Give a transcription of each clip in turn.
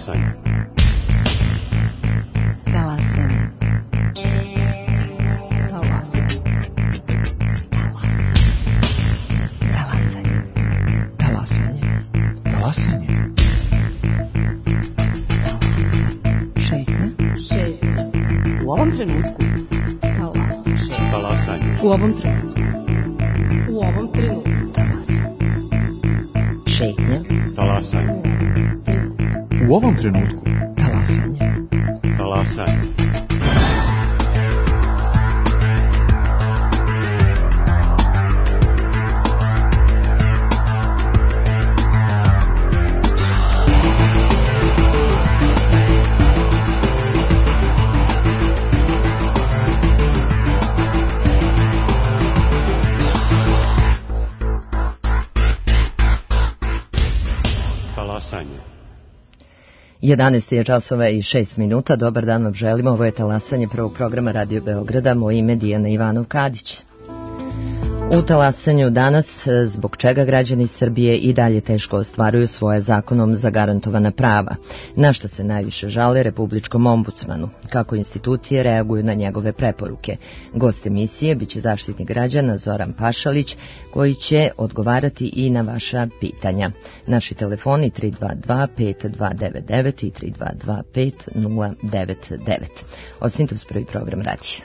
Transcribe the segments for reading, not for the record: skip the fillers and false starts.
Talasanje. Talasanje. Talasanje. Talasanje. Talasanje. Talasanje. Šetnja. U ovom trenutku. Talasanje. U ovom trenutku. U ovom trenutku. Šetnja. Talasanje. U ovom trenutku. Talasanje. Talasanje. Talasanje. 11 je časova i 6 minuta. Dobar dan vam želimo. Ovo je Talasanje prvog programa Radio Beograda. Moje ime Dijana Ivanov-Kadić. U Talasanju danas, zbog čega građani Srbije i dalje teško ostvaruju svoje zakonom zagarantovana prava, na što se najviše žale Republičkom ombudsmanu, kako institucije reaguju na njegove preporuke. Gost emisije biće Zaštitnik građana Zoran Pašalić, koji će odgovarati i na vaša pitanja. Naši telefoni 322-5299 i 322-5099. Ostanite uz prvi program radija.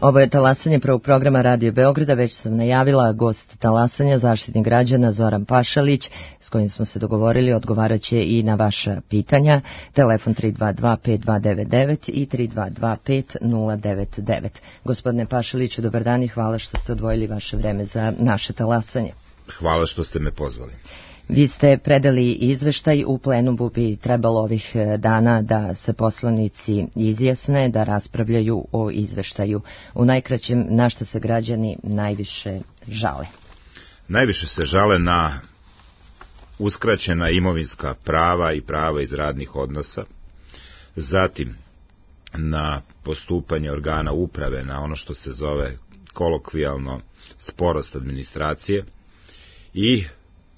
Ovo je Talasanje prvog programa Radio Beograda. Već sam najavila gost Talasanja, Zaštitnik građana Zoran Pašalić, s kojim smo se dogovorili, odgovarat će i na vaša pitanja. Telefon 322-5299 i 322-5099. Gospodine Pašaliću, dobar dan i hvala što ste odvojili vaše vreme za naše Talasanje. Hvala što ste me pozvali. Vi ste predali izveštaj, u plenumu bi trebalo ovih dana da se poslanici izjasne, da raspravljaju o izveštaju. U najkraćem, na što se građani najviše žale? Najviše se žale na uskraćena imovinska prava i prava iz radnih odnosa, zatim na postupanje organa uprave, na ono što se zove kolokvijalno sporost administracije i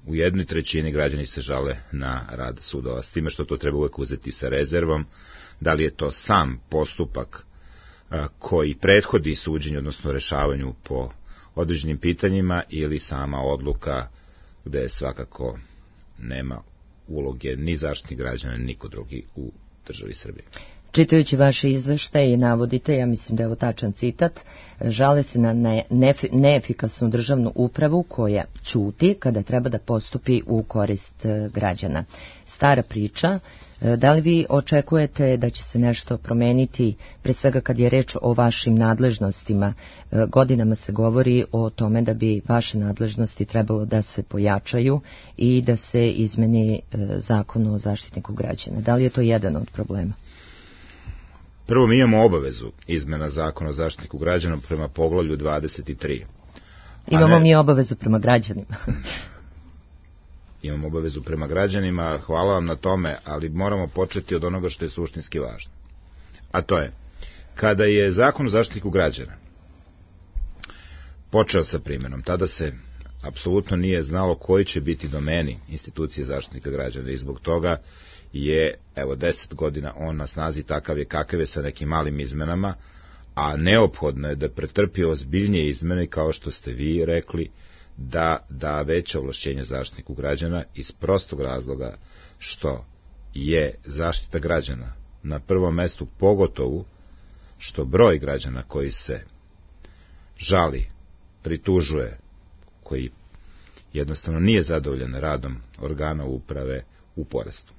u 1/3 građani se žale na rad sudova, s time što to treba uvek uzeti sa rezervom, da li je to sam postupak koji prethodi suđenju, odnosno rešavanju po određenim pitanjima, ili sama odluka gde svakako nema uloge ni Zaštitnik građana, ni niko drugi u državi Srbije. Čitajući vaše izveštaje i navodite, ja mislim da je ovo tačan citat, žale se na neefikasnu državnu upravu koja ćuti kada treba da postupi u korist građana. Stara priča. Da li vi očekujete da će se nešto promeniti, pre svega kad je reč o vašim nadležnostima? Godinama se govori o tome da bi vaše nadležnosti trebalo da se pojačaju i da se izmeni zakon o zaštitniku građana. Da li je to jedan od problema? Prvo, mi imamo obavezu izmena zakona o zaštitniku građana prema poglavlju 23. Imamo mi obavezu prema građanima. Imamo obavezu prema građanima, hvala vam na tome, ali moramo početi od onoga što je suštinski važno. A to je, kada je zakon o zaštitniku građana počeo sa primjenom, tada se apsolutno nije znalo koji će biti domeni institucije zaštitnika građana i zbog toga je, 10 godina on na snazi takav je kakav je sa nekim malim izmenama, a neophodno je da pretrpi ozbiljnije izmene, kao što ste vi rekli, da veće ovlašćenje zaštitniku građana iz prostog razloga što je zaštita građana na prvom mestu, pogotovo što broj građana koji se žali, pritužuje, koji jednostavno nije zadovoljan radom organa uprave, u porastu.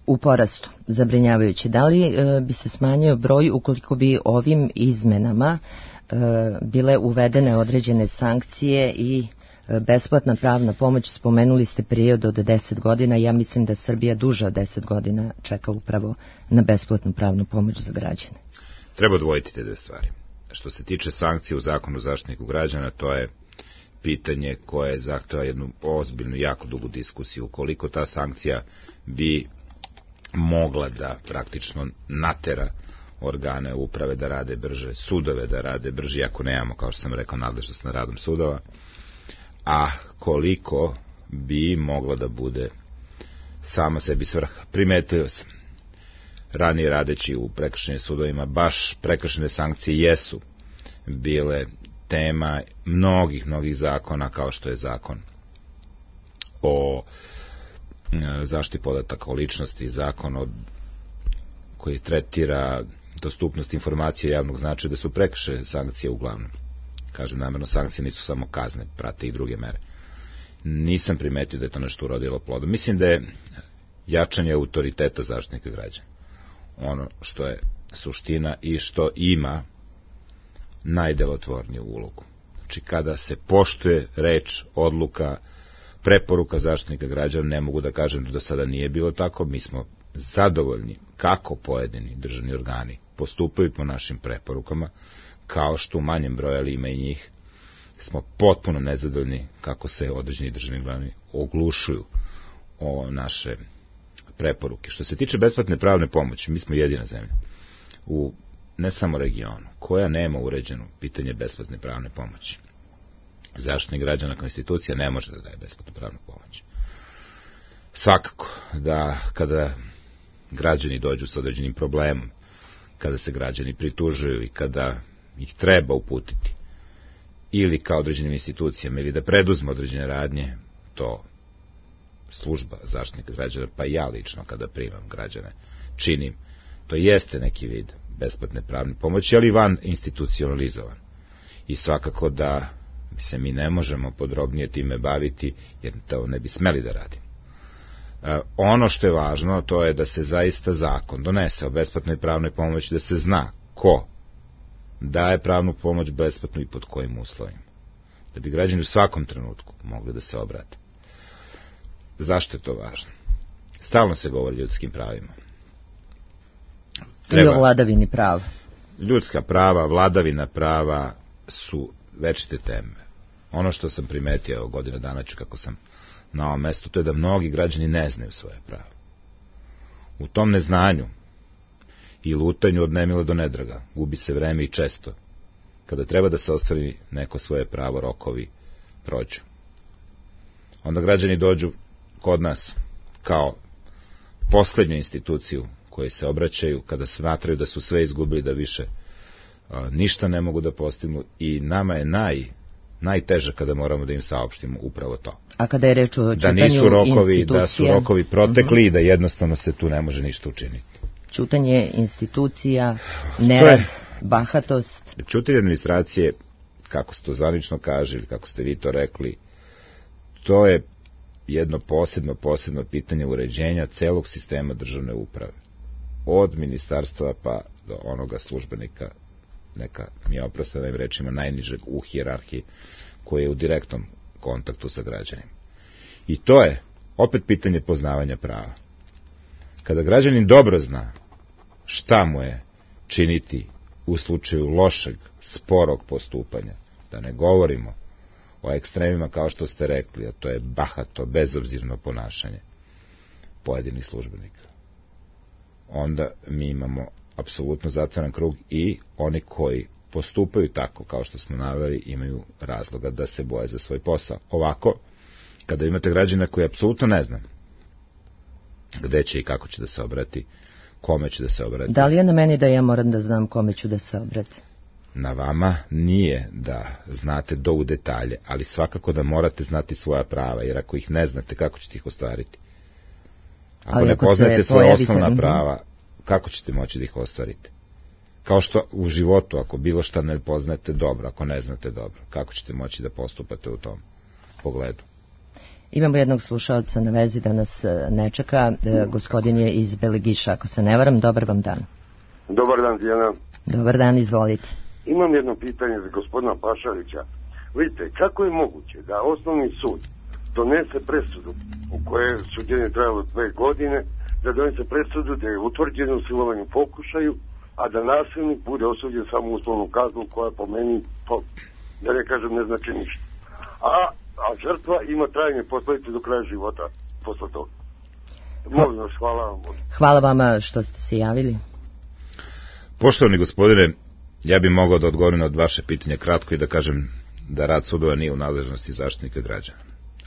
U porastu, zabrinjavajući. Da li bi se smanjio broj ukoliko bi ovim izmenama bile uvedene određene sankcije i besplatna pravna pomoć? Spomenuli ste period od 10 godina, ja mislim da Srbija duže od 10 godina čeka upravo na besplatnu pravnu pomoć za građane. Treba odvojiti te dve stvari. Što se tiče sankcije u zakonu o zaštitniku građana, to je pitanje koje zahteva jednu ozbiljnu, jako dugu diskusiju. Ukoliko ta sankcija bi mogla da praktično natera organe uprave da rade brže, sudove da rade brže, ako nemamo, kao što sam rekao, nadležnost na radom sudova, a koliko bi mogla da bude sama sebi svrha. Primetio sam, ranije radeći u prekršajnim sudovima, baš prekršajne sankcije jesu bile tema mnogih zakona, kao što je zakon o zaštiti podataka o ličnosti, zakon koji tretira dostupnost informacija javnog značaja, da su prekršajne sankcije uglavnom. Kažem namerno, sankcije nisu samo kazne, prate i druge mere. Nisam primetio da je to nešto urodilo plodom. Mislim da je jačanje autoriteta zaštitnika građana ono što je suština i što ima najdelotvorniju ulogu. Znači, kada se poštuje reč, odluka, preporuka zaštitnika građana, ne mogu da kažem da do sada nije bilo tako, mi smo zadovoljni kako pojedini državni organi postupaju po našim preporukama, kao što u manjem broju, ali ima i njih, smo potpuno nezadovoljni kako se određeni državni organi oglušuju o naše preporuke. Što se tiče besplatne pravne pomoći, mi smo jedina zemlja u ne samo regionu koja nema uređeno pitanje besplatne pravne pomoći. Zaštitnik građana kao institucija ne može da daje besplatnu pravnu pomoć. Svakako da kada građani dođu sa određenim problemom, kada se građani pritužuju i kada ih treba uputiti ili kao određenim institucijama ili da preduzme određene radnje, to služba zaštitnika građana, pa i ja lično kada primam građane, činim. To jeste neki vid besplatne pravne pomoći, ali van institucionalizovan. I svakako da se mi ne možemo podrobnije time baviti, jer to ne bi smeli da radimo. Ono što je važno, to je da se zaista zakon donese o besplatnoj pravnoj pomoći, da se zna ko daje pravnu pomoć besplatnu i pod kojim uslovima. Da bi građani u svakom trenutku mogli da se obrate. Zašto je to važno? Stalno se govori o ljudskim pravima. I o vladavini prava. Ljudska prava, vladavina prava su večite teme. Ono što sam primetio godinu dana ću kako sam na ovom mestu, to je da mnogi građani ne znaju svoje prava. U tom neznanju i lutanju od nemila do nedraga gubi se vreme i često. Kada treba da se ostvari neko svoje pravo, rokovi prođu. Onda građani dođu kod nas kao poslednju instituciju koji se obraćaju kada smatraju da su sve izgubili, da više ništa ne mogu da postignu, i nama je najteže kada moramo da im saopštimo upravo to. A kada je reč o čitanju da nisu rokovi, institucija, da su rokovi protekli i da jednostavno se tu ne može ništa učiniti. Ćutanje institucija, nerad, bahatost. Ćutanje administracije, kako se to zvanično kaže ili kako ste vi to rekli, to je jedno posebno pitanje uređenja celog sistema državne uprave. Od ministarstva pa do onoga službenika, neka mi oproste ovim rečima, najnižeg u hijerarhiji, koji je u direktnom kontaktu sa građanima. I to je opet pitanje poznavanja prava. Kada građanin dobro zna šta mu je činiti u slučaju lošeg, sporog postupanja, da ne govorimo o ekstremima kao što ste rekli, a to je bahato, bezobzirno ponašanje pojedinih službenika, onda mi imamo apsolutno zatvoren krug i oni koji postupaju tako kao što smo naveli imaju razloga da se boje za svoj posao. Ovako, kada imate građana koji apsolutno ne zna gde će i kako će da se obrati, kome će da se obrati. Da li je na meni da ja moram da znam kome ću da se obrati? Na vama nije da znate do u detalje, ali svakako da morate znati svoja prava, jer ako ih ne znate, kako ćete ih ostvariti? Ako ne poznate svoje osnovna prava, kako ćete moći da ih ostvarite? Kao što u životu, ako bilo šta ne poznate dobro, ako ne znate dobro, kako ćete moći da postupate u tom pogledu? Imamo jednog slušalca na vezi da nas ne čeka. Gospodin je iz Belegiša, ako se ne varam. Dobar vam dan. Dobar dan, Dijana. Dobar dan, izvolite. Imam jedno pitanje za gospodina Pašalića. Vidite, kako je moguće da osnovni sud donese presudu u kojoj suđenje trajalo 2 godine, da donese presudu da je utvrđeno u silovanju pokušaju, a da nasilnik bude osuđen samo uslovnom kaznom koja po meni, da ne kažem, ne znači ništa. A žrtva ima trajne posljedice do kraja života posle toga. Molim vas, hvala vam. Hvala vama što ste se javili. Poštovani gospodine, ja bih mogao da odgovorim od vaše pitanje kratko i da kažem da rad sudova nije u nadležnosti Zaštitnika građana.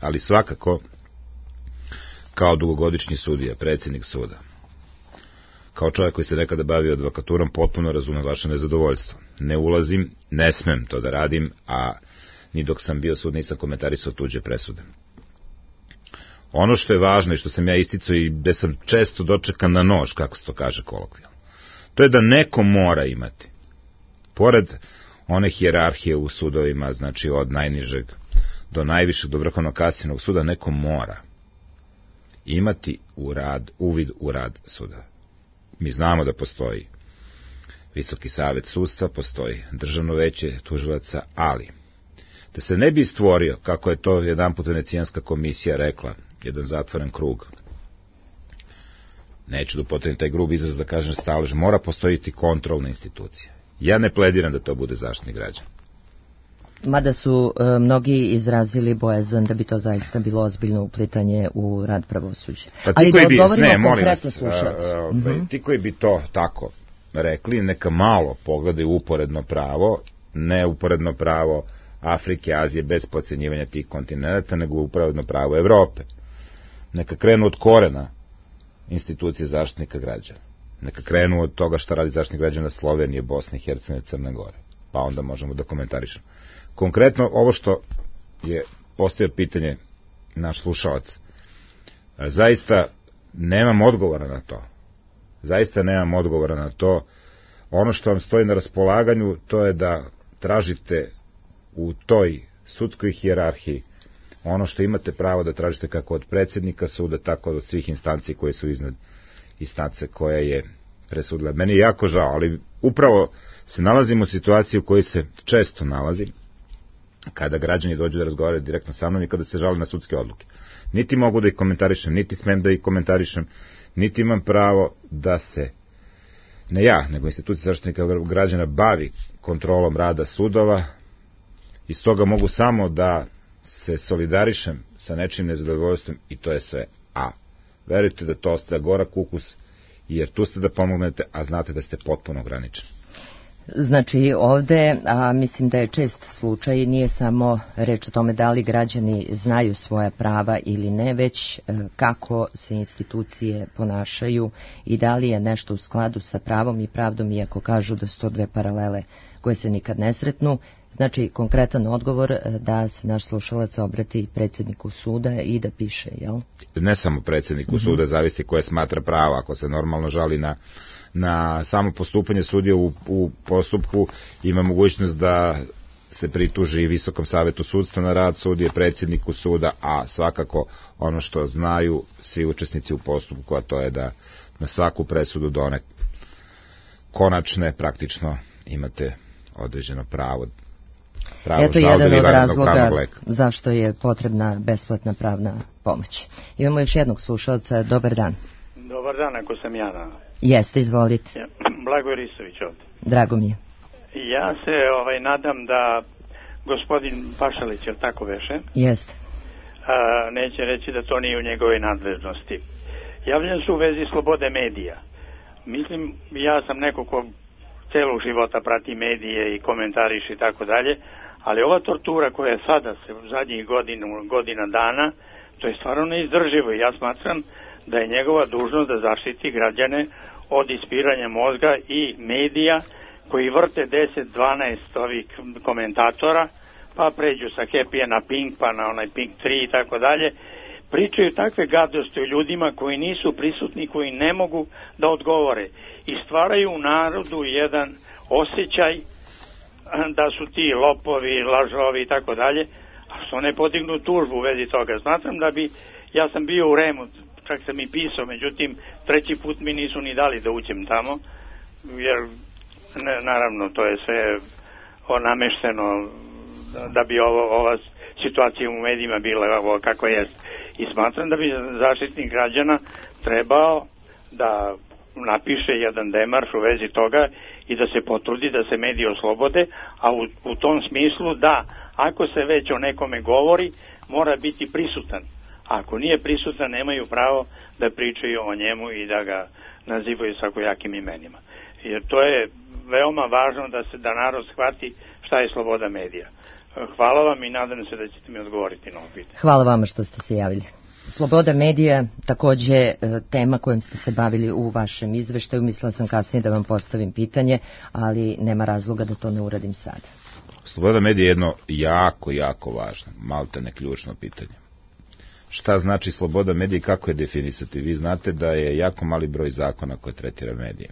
Ali svakako, kao dugogodišnji sudija, predsjednik suda, kao čovjek koji se nekada bavio advokaturom, potpuno razumem vaše nezadovoljstvo. Ne ulazim, ne smem to da radim, a ni dok sam bio sud nisam komentarisao tuđe presude. Ono što je važno i što sam ja isticao i gde sam često dočekan na nož, kako se to kaže kolokvijalno, to je da neko mora imati, pored one hijerarhije u sudovima, znači od najnižeg do najvišeg, do Vrhovnog kasacionog suda, neko mora imati uvid u rad suda. Mi znamo da postoji Visoki savet sudstva, postoji Državno veće tužilaca, ali da se ne bi stvorio, kako je to jedanput Venecijanska komisija rekla, jedan zatvoren krug, neću da upotrebim taj grub izraz da kažem stalež, mora postojiti kontrolna institucija. Ja ne plediram da to bude Zaštitnik građana. Mada su mnogi izrazili bojazan da bi to zaista bilo ozbiljno uplitanje u rad pravosuđa. Pa ali da odgovorimo konkretno slušalcu. Ti koji bi to tako rekli, neka malo pogledaju uporedno pravo, ne uporedno pravo Afrike, Azije, bez podcenjivanja tih kontinenta, nego uporedno pravo Evrope. Neka krenu od korena institucije Zaštitnika građana. Neka krenu od toga šta radi Zaštitnik građana Slovenije, Bosne i Hercegovine, Crne Gore. Pa onda možemo da komentarišemo. Konkretno, ovo što je postavio pitanje naš slušalac, zaista nemam odgovora na to. Zaista nemam odgovora na to. Ono što vam stoji na raspolaganju, to je da tražite u toj sudskoj hijerarhiji ono što imate pravo da tražite kako od predsjednika suda, tako od svih instanci koje su iznad instance koja je presudila. Meni je jako žao, ali upravo se nalazimo u situaciji u kojoj se često nalazim, kada građani dođu da razgovaraju direktno sa mnom i kada se žale na sudske odluke. Niti mogu da ih komentarišem, niti smem da ih komentarišem, niti imam pravo da se, ne ja, nego institucija Zaštitnika građana bavi kontrolom rada sudova, i stoga mogu samo da se solidarišem sa nečim nezadovoljstvom i to je sve. A verujte da to ostaje gorak ukus, jer tu ste da pomognete, a znate da ste potpuno ograničeni. Znači ovde, a mislim da je čest slučaj, nije samo reč o tome da li građani znaju svoja prava ili ne, već kako se institucije ponašaju i da li je nešto u skladu sa pravom i pravdom, iako kažu da su to dve paralele koje se nikad ne sretnu. Znači, konkretan odgovor da se naš slušalac obrati predsjedniku suda i da piše, jel? Ne samo predsjedniku suda, zavisi koje smatra pravo. Ako se normalno žali na samo postupanje sudije u postupku, ima mogućnost da se prituži Visokom savetu sudstva na rad sudije, predsjedniku suda, a svakako ono što znaju svi učesnici u postupku, a to je da na svaku presudu do one konačne praktično imate određeno pravo. Eto jedan od razloga zašto je potrebna besplatna pravna pomoć. Imamo još jednog slušalca. Dobar dan. Dobar dan, ako sam ja. Jeste, izvolite. Blagoje Ristović ovdje. Drago mi je. Ja se nadam da gospodin Pašalić, je tako veše? Jeste. Neće reći da to nije u njegove nadležnosti. Javljam se u vezi slobode medija. Mislim, ja sam neko ko celog života prati medije i komentariš i tako dalje, ali ova tortura koja sada se u zadnjih godina dana, to je stvarno neizdrživo. Ja smatram da je njegova dužnost da zaštiti građane od ispiranja mozga i medija koji vrte 10-12 ovih komentatora, pa pređu sa Happy na Pink, pa na onaj Pink 3 i tako dalje, pričaju takve gadosti o ljudima koji nisu prisutni, koji ne mogu da odgovore i stvaraju u narodu jedan osjećaj da su ti lopovi, lažovi i tako dalje, a što ne podignu tužbu u vezi toga. Smatram da bi, ja sam bio u Remu, čak sam i pisao, međutim, 3. put mi nisu ni dali da uđem tamo, jer naravno to je sve namešteno da bi ova situacija u medijima bila kako jest. I smatram da bi zaštitnik građana trebao da napiše jedan demarš u vezi toga i da se potrudi da se mediji oslobode, a u tom smislu da ako se već o nekome govori, mora biti prisutan. Ako nije prisutan, nemaju pravo da pričaju o njemu i da ga nazivaju svakojakim imenima. Jer to je veoma važno da narod shvati šta je sloboda medija. Hvala vam i nadam se da ćete mi odgovoriti na ovo pitanje. Hvala vama što ste se javili. Sloboda medija, takođe tema kojom ste se bavili u vašem izveštaju. Mislila sam kasnije da vam postavim pitanje, ali nema razloga da to ne uradim sada. Sloboda medija je jedno jako važno, maltene ključno pitanje. Šta znači sloboda medija i kako je definisati? Vi znate da je jako mali broj zakona koje tretira medije.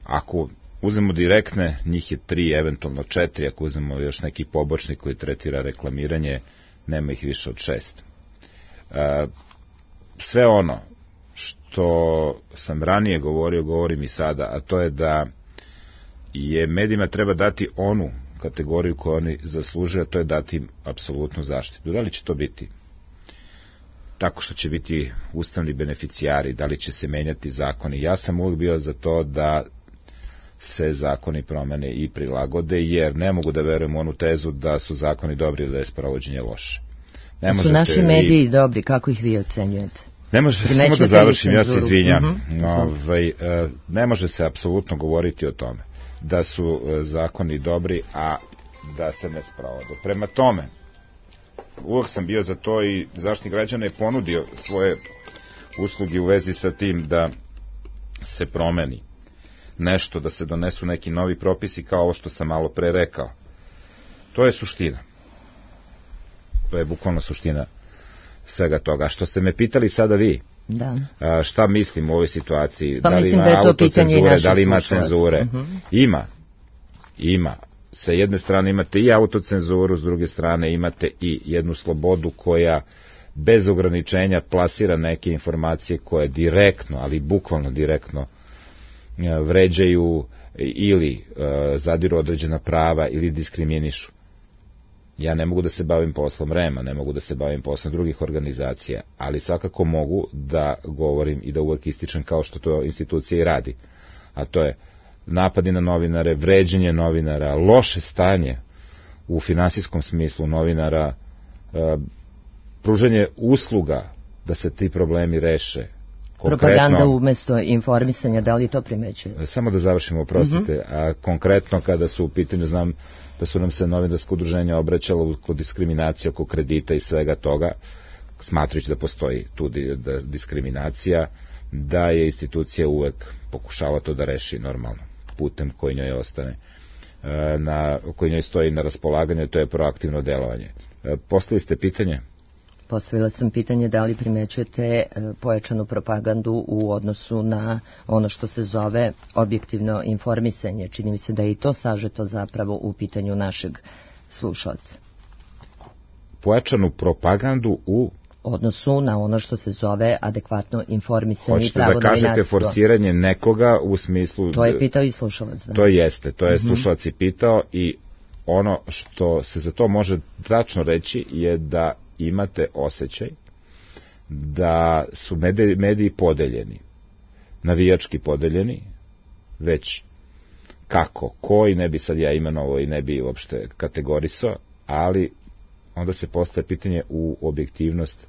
Ako uzmemo direktne, njih je 3, eventualno 4, ako uzmemo još neki pobočnik koji tretira reklamiranje, nema ih više od 6. Sve ono što sam ranije govorio, govorim i sada, a to je da je medijima treba dati onu kategoriju koju oni zaslužuju, a to je dati im apsolutnu zaštitu. Da li će to biti tako što će biti ustavni beneficijari, da li će se menjati zakoni? Ja sam uvijek bio za to da se zakoni promene i prilagode, jer ne mogu da verujem u onu tezu da su zakoni dobri ili da je sprovođenje loše. Su naši mediji dobri, kako ih vi ocenjujete? Ne može, samo da završim, ja se izvinjam. Ne može se apsolutno govoriti o tome da su zakoni dobri, a da se ne sprovode. Prema tome, uvijek sam bio za to i Zaštitnik građana je ponudio svoje usluge u vezi sa tim da se promeni nešto, da se donesu neki novi propisi kao ovo što sam malo pre rekao. To je suština. To je bukvalno suština svega toga. A što ste me pitali sada vi, šta mislim u ovoj situaciji, pa da li ima autocenzure, da li ima cenzure? Ima. Sa jedne strane imate i autocenzuru, s druge strane imate i jednu slobodu koja bez ograničenja plasira neke informacije koje direktno, ali bukvalno direktno vređaju ili zadiru određena prava ili diskriminišu. Ja ne mogu da se bavim poslom REM-a, ne mogu da se bavim poslom drugih organizacija, ali svakako mogu da govorim i da uvek ističem kao što to institucija i radi. A to je napadi na novinare, vređenje novinara, loše stanje u finansijskom smislu novinara, pružanje usluga da se ti problemi reše. Propaganda umesto informisanja, da li to primećuje? Samo da završimo, oprostite. A konkretno kada su u pitanju, znam da su nam se novinarsko udruženje obraćalo kod diskriminacije oko kredita i svega toga, smatrajući da postoji tu diskriminacija, da je institucija uvek pokušala to da reši normalno, putem koji njoj ostane. koji njoj stoji na raspolaganju, to je proaktivno delovanje. Postavili ste pitanje? Postavila sam pitanje da li primećujete pojačanu propagandu u odnosu na ono što se zove objektivno informisanje. Čini mi se da je i to sažeto zapravo u pitanju našeg slušalca. Pojačanu propagandu u odnosu na ono što se zove adekvatno informisanje i pravo novinarstvo. Hoćete da kažete forsiranje nekoga u smislu... To je pitao i slušalac. Da. To jeste, to je slušalac i pitao i ono što se za to može tačno reći je da imate osjećaj da su mediji podeljeni, navijački podeljeni, već kako, koji ne bi sad ja imenovao i ne bi uopšte kategorisao, ali onda se postaje pitanje u objektivnost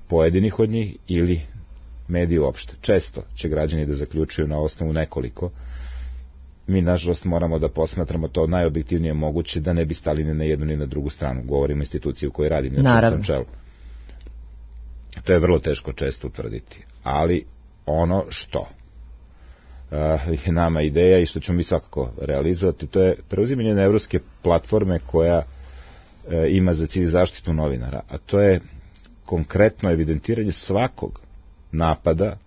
pojedinih od njih ili mediji uopšte. Često će građani da zaključuju na osnovu nekoliko. Mi, nažalost, moramo da posmatramo to najobjektivnije moguće, da ne bi stali ni na jednu ni na drugu stranu. Govorimo o instituciji u kojoj radim, na čem čelu. To je vrlo teško često utvrditi. Ali ono što je nama ideja i što ćemo mi svakako realizovati, to je preuzimanje jedne evropske platforme koja ima za cilj zaštitu novinara, a to je konkretno evidentiranje svakog napada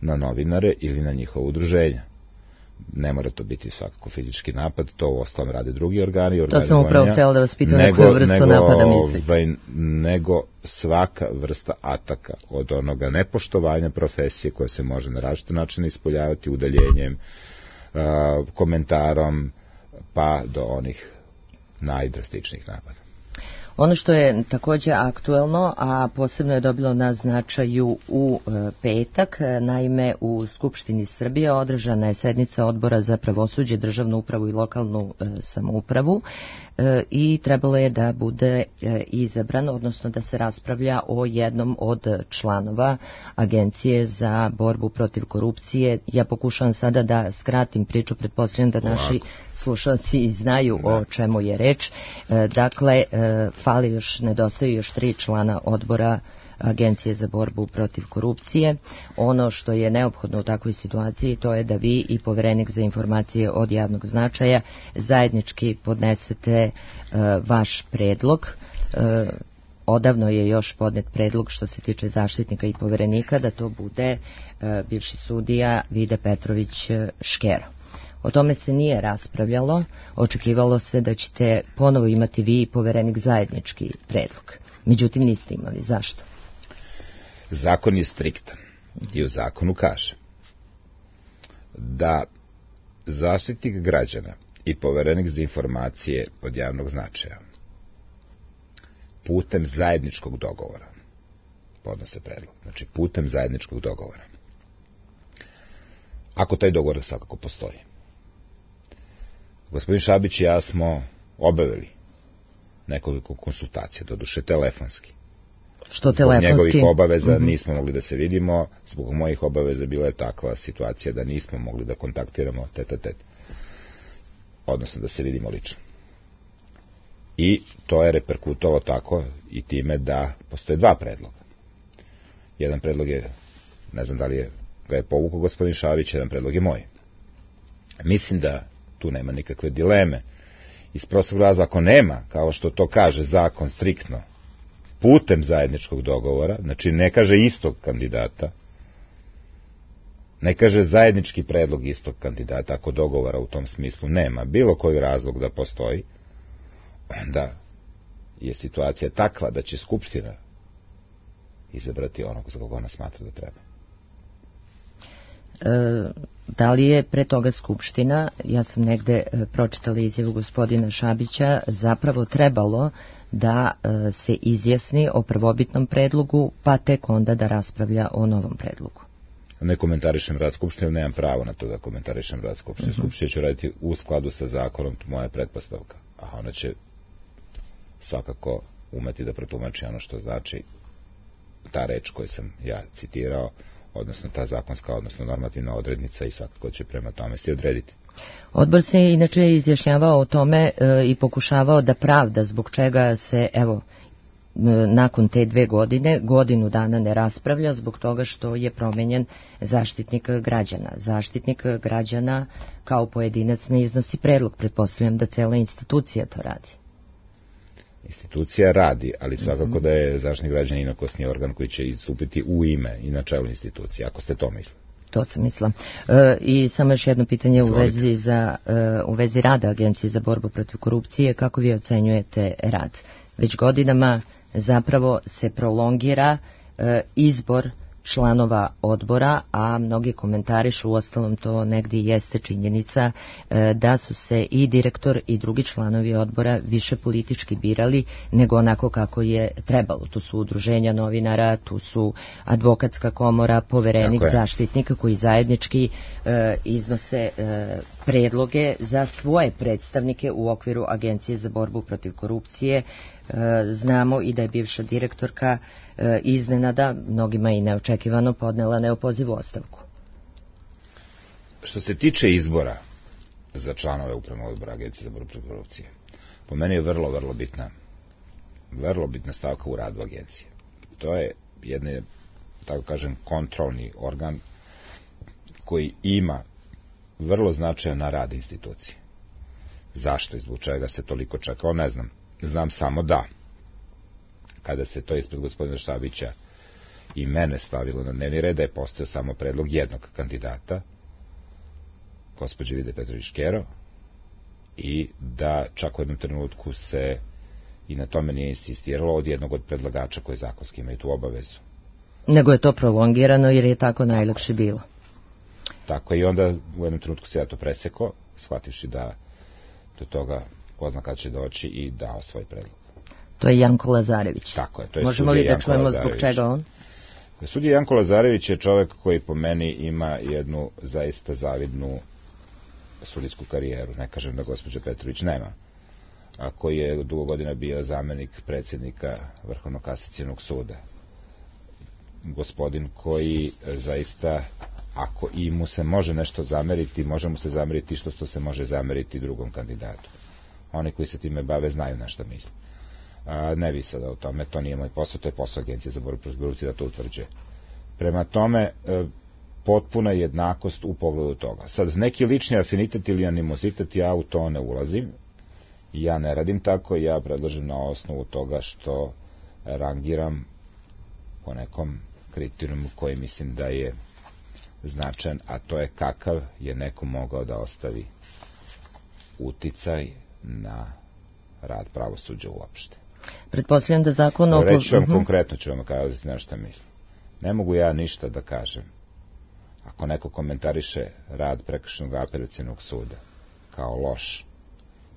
na novinare ili na njihovo udruženja. Ne mora to biti svakako fizički napad, to u ostalom rade drugi organi. To sam upravo htjela da vas pitam na koju vrstu napada mislite. Nego svaka vrsta ataka, od onoga nepoštovanja profesije koja se može na različite načine ispoljavati udaljenjem, komentarom, pa do onih najdrastičnijih napada. Ono što je također aktuelno, a posebno je dobilo na značaju u petak, naime u Skupštini Srbije održana je sednica Odbora za pravosuđe, državnu upravu i lokalnu samoupravu i trebalo je da bude izabrano, odnosno da se raspravlja o jednom od članova Agencije za borbu protiv korupcije. Ja pokušavam sada da skratim priču, pretpostavljam da naši slušalci znaju o čemu je reč. Dakle, nedostaju još 3 člana odbora Agencije za borbu protiv korupcije. Ono što je neophodno u takvoj situaciji to je da vi i Poverenik za informacije od javnog značaja zajednički podnesete vaš predlog. Odavno je još podnet predlog što se tiče zaštitnika i poverenika da to bude bivši sudija Vide Petrović Škero. O tome se nije raspravljalo, očekivalo se da ćete ponovo imati vi i Poverenik zajednički predlog. Međutim, niste imali. Zašto? Zakon je striktan i u zakonu kaže da zaštitnik građana i Poverenik za informacije od javnog značaja putem zajedničkog dogovora podnose predlog. Znači, putem zajedničkog dogovora. Ako taj dogovor svakako postoji. Gospodin Šabić i ja smo obavili nekoliko konsultacija, doduše telefonski. Što telefonski? Zbog njegovih obaveza nismo mogli da se vidimo, zbog mojih obaveza bila je takva situacija da nismo mogli da kontaktiramo tet-a-tet. Odnosno da se vidimo lično. I to je reperkutovalo tako i time da postoje 2 predloga. Jedan predlog je, ne znam da li ga je povukao gospodin Šabić, jedan predlog je moj. Mislim da tu nema nikakve dileme. Iz prostog razloga, ako nema, kao što to kaže zakon striktno, putem zajedničkog dogovora, znači ne kaže istog kandidata, ne kaže zajednički predlog istog kandidata, ako dogovora u tom smislu nema, bilo koji razlog da postoji, onda je situacija takva da će Skupština izabrati onog za koga ona smatra da treba. Da li je pre toga Skupština, ja sam negde pročitala izjavu gospodina Šabića, zapravo trebalo da se izjasni o prvobitnom predlogu, pa tek onda da raspravlja o novom predlogu? Ne komentarišem rad Skupštine, nemam pravo na to da komentarišem rad Skupštine. Skupština će raditi u skladu sa zakonom, moja pretpostavka, a ona će svakako umeti da protumači ono što znači ta reč koju sam ja citirao, odnosno ta zakonska, odnosno normativna odrednica, i svakako će prema tome se odrediti. Odbor se inače izjašnjavao o tome i pokušavao da pravda zbog čega se, evo, nakon te 2 godine godinu dana ne raspravlja zbog toga što je promenjen zaštitnik građana. Zaštitnik građana kao pojedinac ne iznosi predlog, pretpostavljam da cela institucija to radi. Institucija radi, ali svakako da je zaštitnik građana inokosni organ koji će istupiti u ime i na čelu institucije, ako ste to mislili. To sam mislila. I samo još jedno pitanje u vezi rada Agencije za borbu protiv korupcije. Kako vi ocenjujete rad? Već godinama zapravo se prolongira izbor članova odbora, a mnogi komentarišu, uostalom to negdje jeste činjenica, da su se i direktor i drugi članovi odbora više politički birali nego onako kako je trebalo. Tu su udruženja novinara, tu su advokatska komora, poverenik zaštitnika koji zajednički iznose predloge za svoje predstavnike u okviru Agencije za borbu protiv korupcije. Znamo i da je bivša direktorka iznenada, mnogima i neočekivano, podnela neopozivu ostavku. Što se tiče izbora za članove upravnog odbora Agencije za borbu protiv korupcije, po meni je vrlo bitna stavka u radu agencije. To je jedan, tako kažem, kontrolni organ koji ima vrlo značajan na rad institucije. Zašto i zbog čega se toliko čekao, ne znam. Znam samo da, kada se to ispred gospodina Šabića i mene stavilo na dnevni red, da je postao samo predlog jednog kandidata, gospođe Vide Petrović-Škero, i da čak u jednom trenutku se i na tome nije insistiralo od jednog od predlagača koji zakonski imaju tu obavezu. Nego je to prolongirano jer je tako najlakše bilo. Tako i onda u jednom trenutku se ja to presekao, shvativši da do toga ko zna kada će doći, i dao svoj predlog. To je Janko Lazarević. Tako je, to je Možemo li da čujemo zbog čega on? Sudija Janko Lazarević je čovek koji po meni ima jednu zaista zavidnu sudijsku karijeru. Ne kažem da gospođa Petrović nema. A koji je dugo godina bio zamenik predsjednika Vrhovnog kasacionog suda. Gospodin koji zaista, ako i mu se može nešto zameriti, može mu se zameriti što se može zameriti drugom kandidatu. Oni koji se time bave znaju na šta misle. Ne vi sada o tome, to nije moj posao, to je posao Agencije za borbu protiv korupcije da to utvrđuje. Prema tome, potpuna jednakost u pogledu toga. Sad, neki lični afinitet ili animozitet, ja u to ne ulazim. Ja ne radim tako, ja predlažem na osnovu toga što rangiram po nekom kriterijumu koji mislim da je značajan, a to je kakav je neko mogao da ostavi uticaj na rad pravosuđa uopšte. Pretpostavljam da zakon o... Reći vam konkretno, ću vam kazati na šta mislim. Ne mogu ja ništa da kažem ako neko komentariše rad prekršajnog apelacionog suda kao loš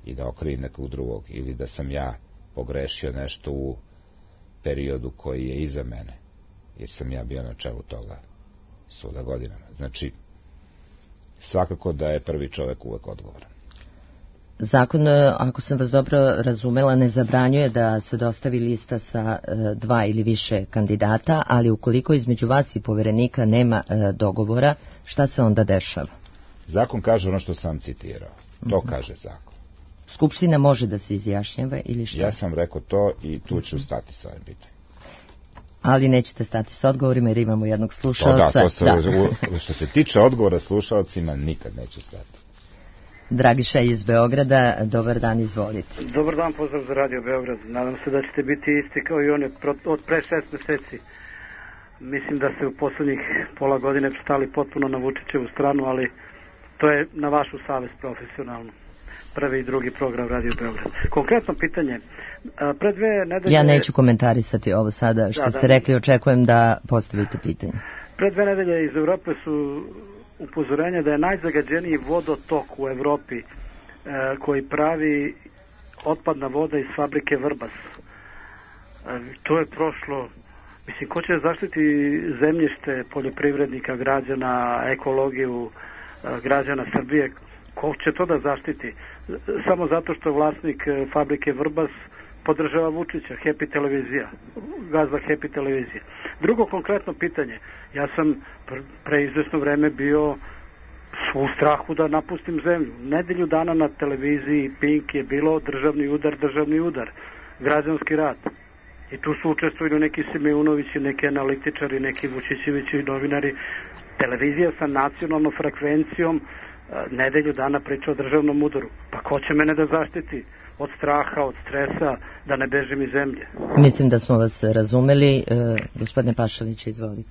i da okrivim nekog drugog, ili da sam ja pogrešio nešto u periodu koji je iza mene, jer sam ja bio na čelu toga suda godinama. Znači, svakako da je prvi čovek uvek odgovoran. Zakon, ako sam vas dobro razumela, ne zabranjuje da se dostavi lista sa 2 ili više kandidata, ali ukoliko između vas i poverenika nema dogovora, šta se onda dešava? Zakon kaže ono što sam citirao. To kaže zakon. Skupština može da se izjašnjava ili šta? Ja sam rekao to i tu ću stati sa ovim pitanjem. Ali nećete stati sa odgovorima jer imamo jednog slušalca. Što se tiče odgovora slušalcima, nikad neću stati. Dragiša iz Beograda, dobar dan, izvolite. Dobar dan, pozdrav za Radio Beograd. Nadam se da ćete biti isti kao i oni od pre 6 meseci. Mislim da ste u poslednjih pola godine stali potpuno na Vučićevu stranu, ali to je na vašu savest profesionalno. Prvi i drugi program Radio Beograd. Konkretno pitanje. Pre 2 nedelje... Ja neću komentarisati ovo sada što ste rekli, očekujem da postavite pitanje. Pre 2 nedelje iz Evrope su upozorenja da je najzagađeniji vodotok u Evropi koji pravi otpadna voda iz fabrike Vrbas. To je prošlo. Mislim, ko će zaštiti zemljište poljoprivrednika, građana, ekologiju građana Srbije? Ko će to da zaštiti? Samo zato što vlasnik fabrike Vrbas podržava Vučića, Happy televizija, gazda Happy televizije. Drugo konkretno pitanje. Ja sam pre izvesno vreme bio u strahu da napustim zemlju. Nedelju dana na televiziji Pink je bilo državni udar, građanski rat. I tu su učestvovali neki Simeunovići, neki analitičari, neki Vučićevići novinari. Televizija sa nacionalnom frekvencijom nedelju dana priča o državnom udaru. Pa ko će mene da zaštiti od straha, od stresa, da ne bežim iz zemlje? Mislim da smo vas razumeli. Gospodine Pašaliću, izvolite.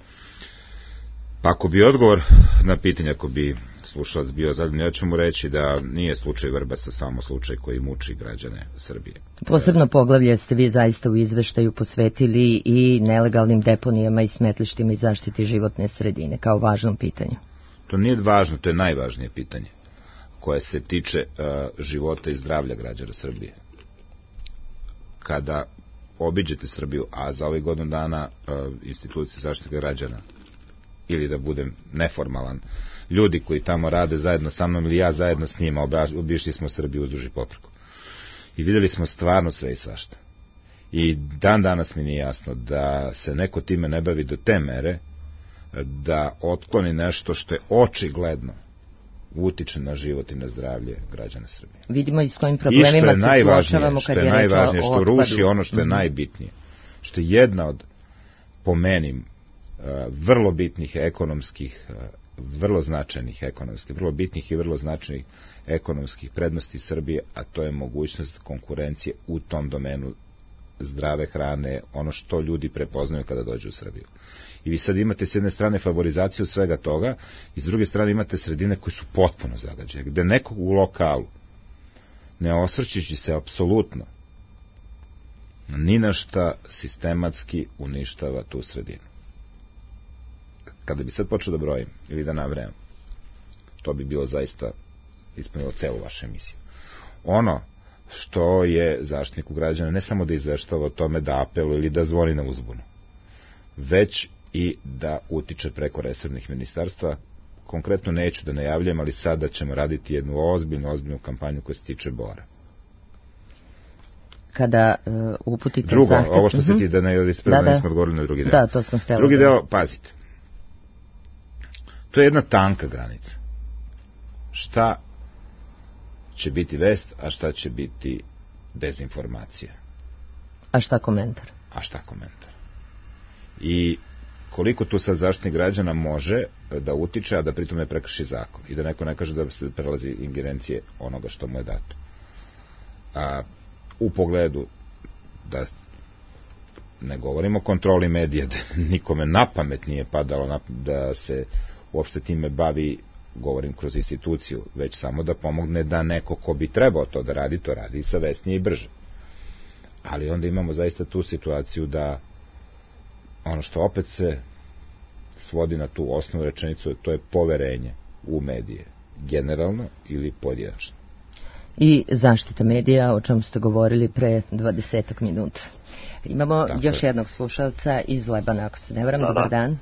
Pa ako bi odgovor na pitanje, ako bi slušalac bio zadovoljan, ja ću mu reći da nije slučaj Vrbasa samo slučaj koji muči građane Srbije. Posebno poglavlje ste vi zaista u izveštaju posvetili i nelegalnim deponijama i smetlištima i zaštiti životne sredine kao važnom pitanju. To nije važno, to je najvažnije pitanje koje se tiče života i zdravlja građana Srbije. Kada obiđete Srbiju, a za ovih godinu dana institucije zaštite građana, ili da budem neformalan, ljudi koji tamo rade zajedno sa mnom ili ja zajedno s njima, obišli smo Srbiju uzduž i popreko. I videli smo stvarno sve i svašta. I dan danas mi nije jasno da se neko time ne bavi do te mere da otkloni nešto što je očigledno utiče na život i na zdravlje građana Srbije. Vidimo i s kojim problemima se suočavamo kad je reč o otpadu. Što ruši ono što je najbitnije. Što je jedna od, po meni, vrlo bitnih ekonomskih, vrlo značajnih ekonomskih, vrlo bitnih i vrlo značajnih ekonomskih prednosti Srbije, a to je mogućnost konkurencije u tom domenu zdrave hrane, ono što ljudi prepoznaju kada dođu u Srbiju. I vi sad imate s jedne strane favorizaciju svega toga i s druge strane imate sredine koje su potpuno zagađene, gde nekog u lokalu, ne osvrćući se apsolutno ni na šta, sistematski uništava tu sredinu. Kada bi sad počeo da brojim ili da nabrajam, to bi bilo zaista ispunilo celu vašu emisiju. Ono što je Zaštitniku građana ne samo da izveštava o tome, da apeluje ili da zvoni na uzbunu, već i da utiče preko resornih ministarstva. Konkretno neću da najavljam, ali sada ćemo raditi jednu ozbiljnu kampanju koja se tiče bora. Kada uputite drugo, zahtev... ovo što se ti da ne smo odgovorili na drugi deo. Da, to sam htjela. Drugi deo, pazite. To je jedna tanka granica. Šta će biti vest, a šta će biti dezinformacija. A šta komentar? I koliko tu sad Zaštitnik građana može da utiče, a da pritom ne prekrši zakon. I da neko ne kaže da se prelazi ingerencije onoga što mu je dato. U pogledu da ne govorimo o kontroli medija, da nikome na pamet nije padalo da se uopšte time bavi, govorim kroz instituciju, već samo da pomogne da neko ko bi trebao to da radi, to radi savesnije i brže. Ali onda imamo zaista tu situaciju da ono što opet se svodi na tu osnovnu rečenicu, to je poverenje u medije, generalno ili pojedinačno. I zaštita medija, o čemu ste govorili pre 20 minuta. Imamo još jednog slušalca iz Lebana, ako se ne varam. Dobar dan.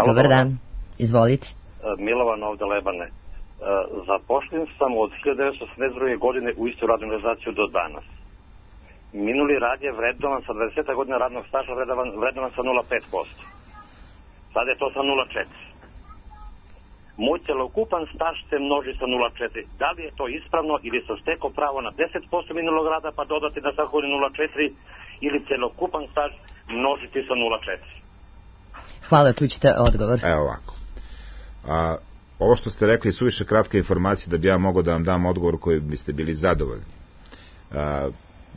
Dobar dan. Izvolite. Milovan ovde Lebane. Zapošljen sam od 1982. godine u istu radnu organizaciju do danas. Minuli rad je vrednovan sa 20 godina radnog staža, vrednovan sa 0,5%. Sad je to sa 0,4%. Moj celokupan staž se množi sa 0,4. Da li je to ispravno ili sam stekao pravo na 10% minulog rada pa dodati na svaku godinu 0,4 ili celokupan staž množiti sa 0,4? Hvala, čućete odgovor. Evo ovako. Ovo što ste rekli su više kratka informacija da bi ja mogao da vam dam odgovor koji biste bili zadovoljni.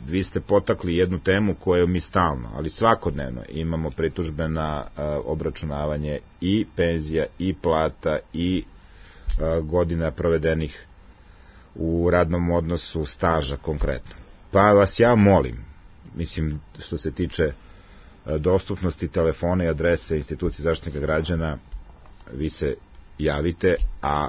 Vi ste potakli jednu temu koju mi stalno, ali svakodnevno imamo pritužbe na obračunavanje i penzija, i plata, i godina provedenih u radnom odnosu, staža konkretno. Pa vas ja molim, mislim što se tiče dostupnosti telefona i adrese institucije Zaštitnika građana, vi se javite, a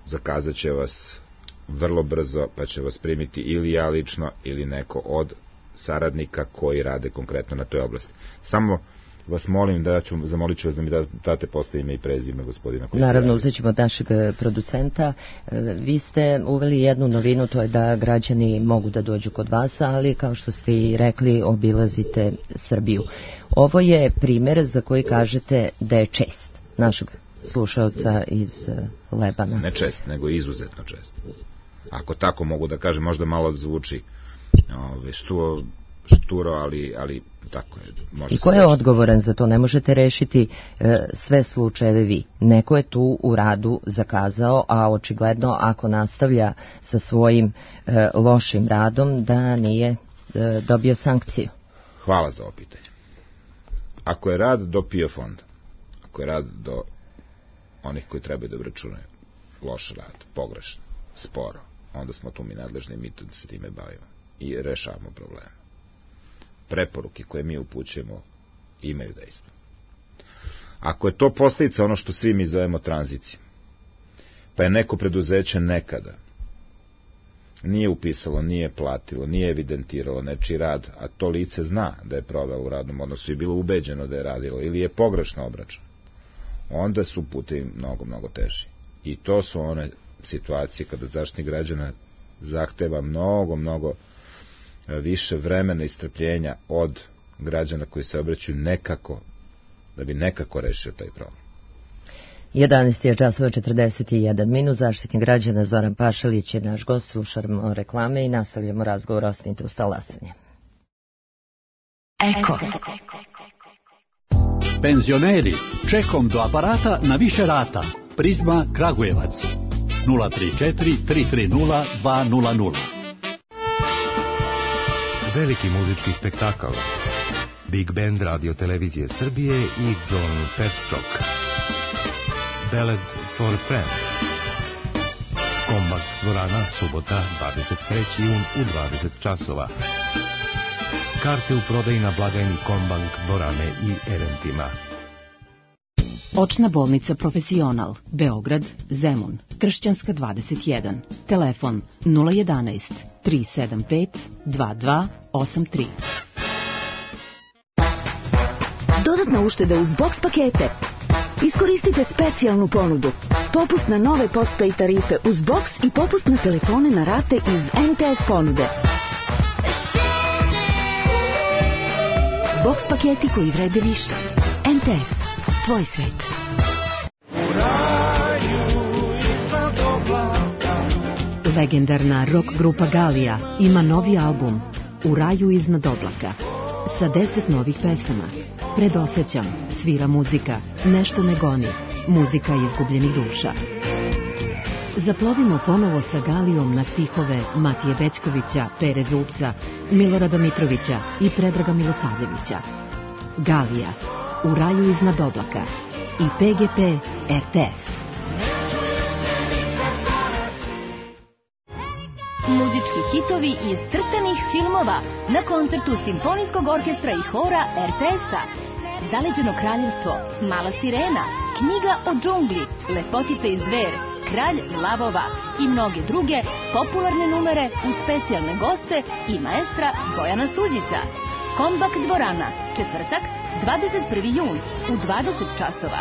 zakazat će vas vrlo brzo, pa će vas primiti ili ja lično ili neko od saradnika koji rade konkretno na toj oblasti. Samo vas molim zamolit ću vas da mi date posle ime i prezime gospodina koji se javi. Naravno, uzet ćemo od našeg producenta. Vi ste uveli jednu novinu, to je da građani mogu da dođu kod vas, ali kao što ste i rekli, obilazite Srbiju. Ovo je primer za koji kažete da je čest našeg slušalca iz Lebana. Ne čest, nego izuzetno čest. Ako tako mogu da kažem, možda malo zvuči što šturo, ali tako je. I ko je odgovoran za to? Ne možete rešiti sve slučajeve vi. Neko je tu u radu zakazao, a očigledno ako nastavlja sa svojim lošim radom da nije dobio sankciju. Hvala za ovo pitanje. Ako je rad do PIO fonda, ako je rad do onih koji trebaju da obračunaju loš rad, pogrešno, sporo, onda smo tu mi nadležni i mi tu se time bavimo i rešavamo probleme. Preporuke koje mi upućujemo imaju dejstvo. Ako je to posljedica ono što svi mi zovemo tranzicijom, pa je neko preduzeće nekada nije upisalo, nije platilo, nije evidentiralo nečiji rad, a to lice zna da je provelo u radnom odnosu i bilo ubeđeno da je radilo, ili je pogrešno obračun, onda su putevi mnogo, mnogo teži. I to su one situacije kada Zaštitnik građana zahteva mnogo, mnogo više vremena i strpljenja od građana koji se obraćaju nekako, da bi nekako rešio taj problem. 11:41. Zaštitnik građana Zoran Pašalić je naš gost, slušamo reklame i nastavljamo razgovor. Ostanite uz talasanje. Eko. Penzioneri, čekom do aparata na više rata. Prizma Kragujevac 034 330 200. Veliki muzički spektakl, Big Band Radio Televizije Srbije i John Petchok. Ballad for Friends. Kombak dvorana, subota, 23. jun u 20 časova. Karte u prodaji na blagajni Kombank dvorane i eventima. Očna bolnica Profesional, Beograd, Zemun, Kršćanska 21. Telefon 011 375 2283. Dodatna ušteda uz box pakete. Iskoristite specijalnu ponudu. Popust na nove postpay tarife uz box i popust na telefone na rate iz MTS ponude. Box paketi koji vrede više. MTS. Tvoj svet. Legendarna rock grupa Galija ima novi album U raju iznad oblaka sa 10 novih pesama. Predosećam, svira muzika, nešto me goni, muzika izgubljenih duša. Zaplovimo ponovo sa Galijom na stihove Matije Bećkovića, Pere Zupca, Milorada Mitrovića i Predraga Milosavljevića. Galija, U raju iznad oblaka i PGP RTS. Muzički hitovi iz crtanih filmova na koncertu Simfonijskog orkestra i hora RTS-a. Zaleđeno kraljevstvo, Mala sirena, Knjiga o džungli, Lepotica i zver, Kralj lavova i mnoge druge popularne numere uz specijalne goste i maestra Bojana Suđića. Kombak dvorana, četvrtak, 21. jun u 20 časova.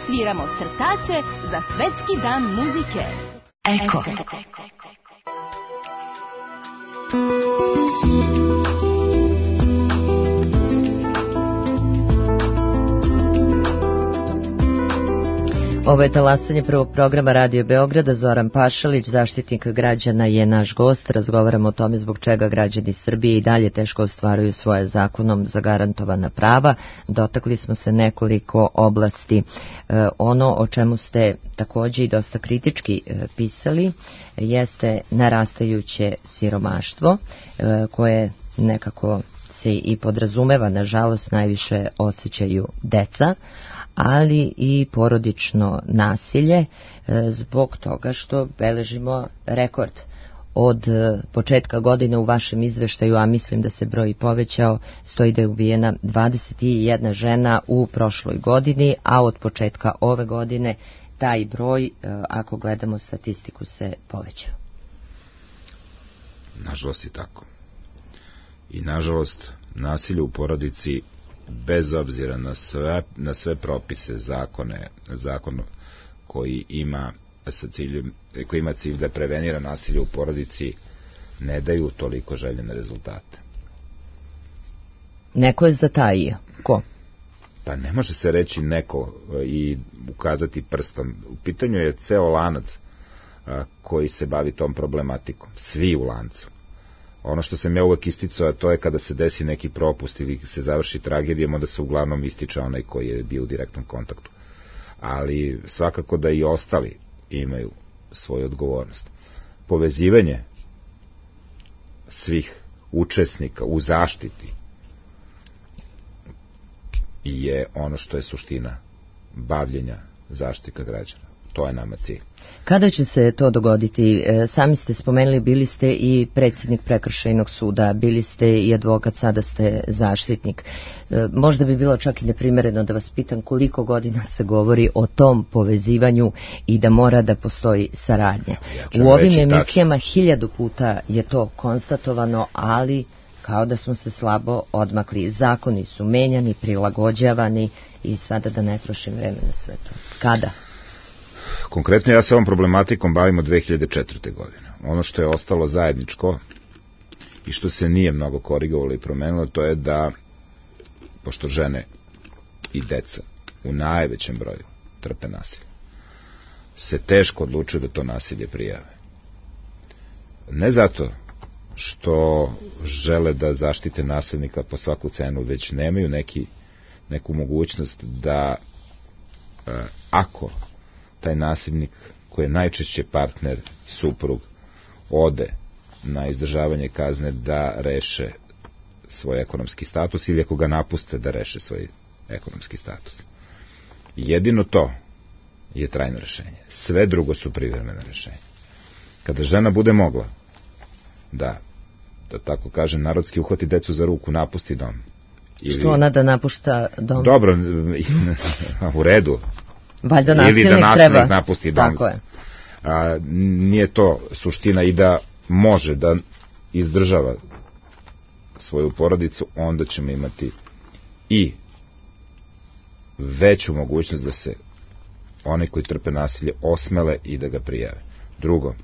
Sviramo crtače za Svetski dan muzike. Eko. Ovo je talasanje prvog programa Radio Beograda. Zoran Pašalić, Zaštitnik građana, je naš gost. Razgovaramo o tome zbog čega građani Srbije i dalje teško ostvaruju svoje zakonom zagarantovana prava. Dotakli smo se nekoliko oblasti. Ono o čemu ste također i dosta kritički pisali jeste narastajuće siromaštvo koje nekako se i podrazumeva, nažalost najviše osjećaju deca, ali i porodično nasilje zbog toga što beležimo rekord. Od početka godine u vašem izveštaju, a mislim da se broj povećao, stoji da je ubijena 21 žena u prošloj godini, a od početka ove godine taj broj, ako gledamo statistiku, se povećao. Nažalost je tako. I nažalost nasilje u porodici, bez obzira na sve propise, zakon koji ima cilj da prevenira nasilje u porodici, ne daju toliko željene rezultate. Neko je zatajio. Ko? Pa ne može se reći neko i ukazati prstom. U pitanju je ceo lanac koji se bavi tom problematikom. Svi u lancu. Ono što sam ja uvek isticao, to je kada se desi neki propust ili se završi tragedijom, onda se uglavnom ističe onaj koji je bio u direktnom kontaktu. Ali svakako da i ostali imaju svoju odgovornost. Povezivanje svih učesnika u zaštiti je ono što je suština bavljenja Zaštitnika građana. To je nama cilj. Kada će se to dogoditi? Sami ste spomenuli, bili ste i predsjednik prekršajnog suda, bili ste i advokat, sada ste zaštitnik. Možda bi bilo čak i neprimereno da vas pitam koliko godina se govori o tom povezivanju i da mora da postoji saradnja. U ovim emisijama 1000 puta je to konstatovano, ali kao da smo se slabo odmakli. Zakoni su menjani, prilagođavani i sada da ne trošim vreme na sve to. Kada? Konkretno ja se ovom problematikom bavim od 2004. godine. Ono što je ostalo zajedničko i što se nije mnogo korigovalo i promenilo, to je da, pošto žene i deca u najvećem broju trpe nasilje, se teško odlučuju da to nasilje prijave. Ne zato što žele da zaštite nasilnika po svaku cenu, već nemaju neku mogućnost da ako taj nasilnik koji je najčešće partner, suprug, ode na izdržavanje kazne da reše svoj ekonomski status ili ako ga napuste da reše svoj ekonomski status. Jedino to je trajno rešenje. Sve drugo su privremena rešenja. Kada žena bude mogla da tako kažem, narodski uhvati decu za ruku, napusti dom. Što ona da napušta dom? Dobro, u redu. Valjda nasilnik ili da nasilnik napusti dom. Tako je. Nije to suština i da može da izdržava svoju porodicu, onda ćemo imati i veću mogućnost da se oni koji trpe nasilje osmele i da ga prijave. Drugo,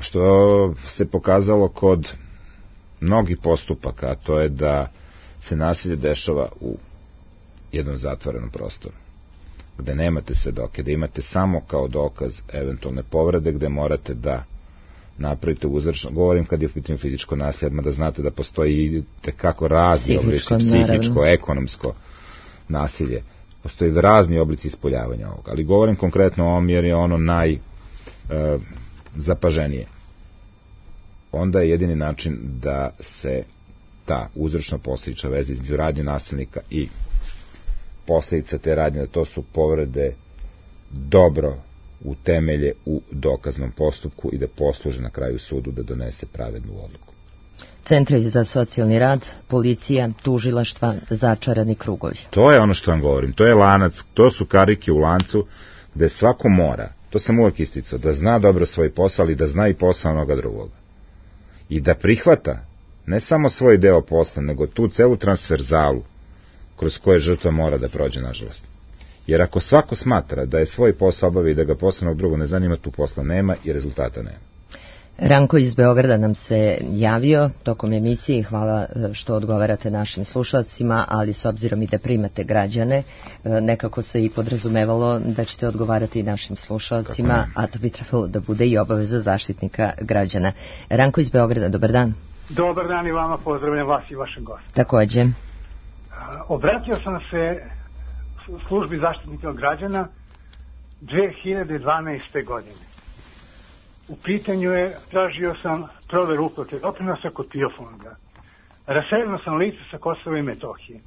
što se pokazalo kod mnogih postupaka, a to je da se nasilje dešava u jednom zatvorenom prostoru, gde nemate svedoke, da imate samo kao dokaz eventualne povrede, gde morate da napravite uzročno, govorim kad je u pitanju fizičko nasilje, da znate da postoji tekako razni oblici, psihičko, ekonomsko nasilje, postoji razni oblici ispoljavanja ovoga, ali govorim konkretno o ovom jer je ono najzapaženije. Onda je jedini način da se ta uzročno-posledična veza između radnje nasilnika i posledica te radnje, da to su povrede, dobro utemelje u dokaznom postupku i da posluže na kraju sudu da donese pravednu odluku. Centri za socijalni rad, policija, tužilaštva, začarani krugovi. To je ono što vam govorim, to je lanac, to su karike u lancu gde svako mora, to sam uvek isticao, da zna dobro svoj posao, ali da zna i posao onoga drugoga. I da prihvata ne samo svoj deo posla, nego tu celu transverzalu kroz koje žrtva mora da prođe, nažalost. Jer ako svako smatra da je svoj posao obavi i da ga posla drugo ne zanima, tu posla nema i rezultata nema. Ranko iz Beograda nam se javio tokom emisije, hvala što odgovarate našim slušalcima, ali s obzirom i da primate građane, nekako se i podrazumevalo da ćete odgovarati i našim slušalcima, a to bi trebalo da bude i obaveza Zaštitnika građana. Ranko iz Beograda, dobar dan. Dobar dan i vama, pozdravljam vas i vašem gostu. Takođe. Obratio sam se službi Zaštitnika građana 2012. godine. U pitanju je, tražio sam proveru uplate doprinosa kod PIO fonda. Raseljeno sam lice sa Kosova i Metohije.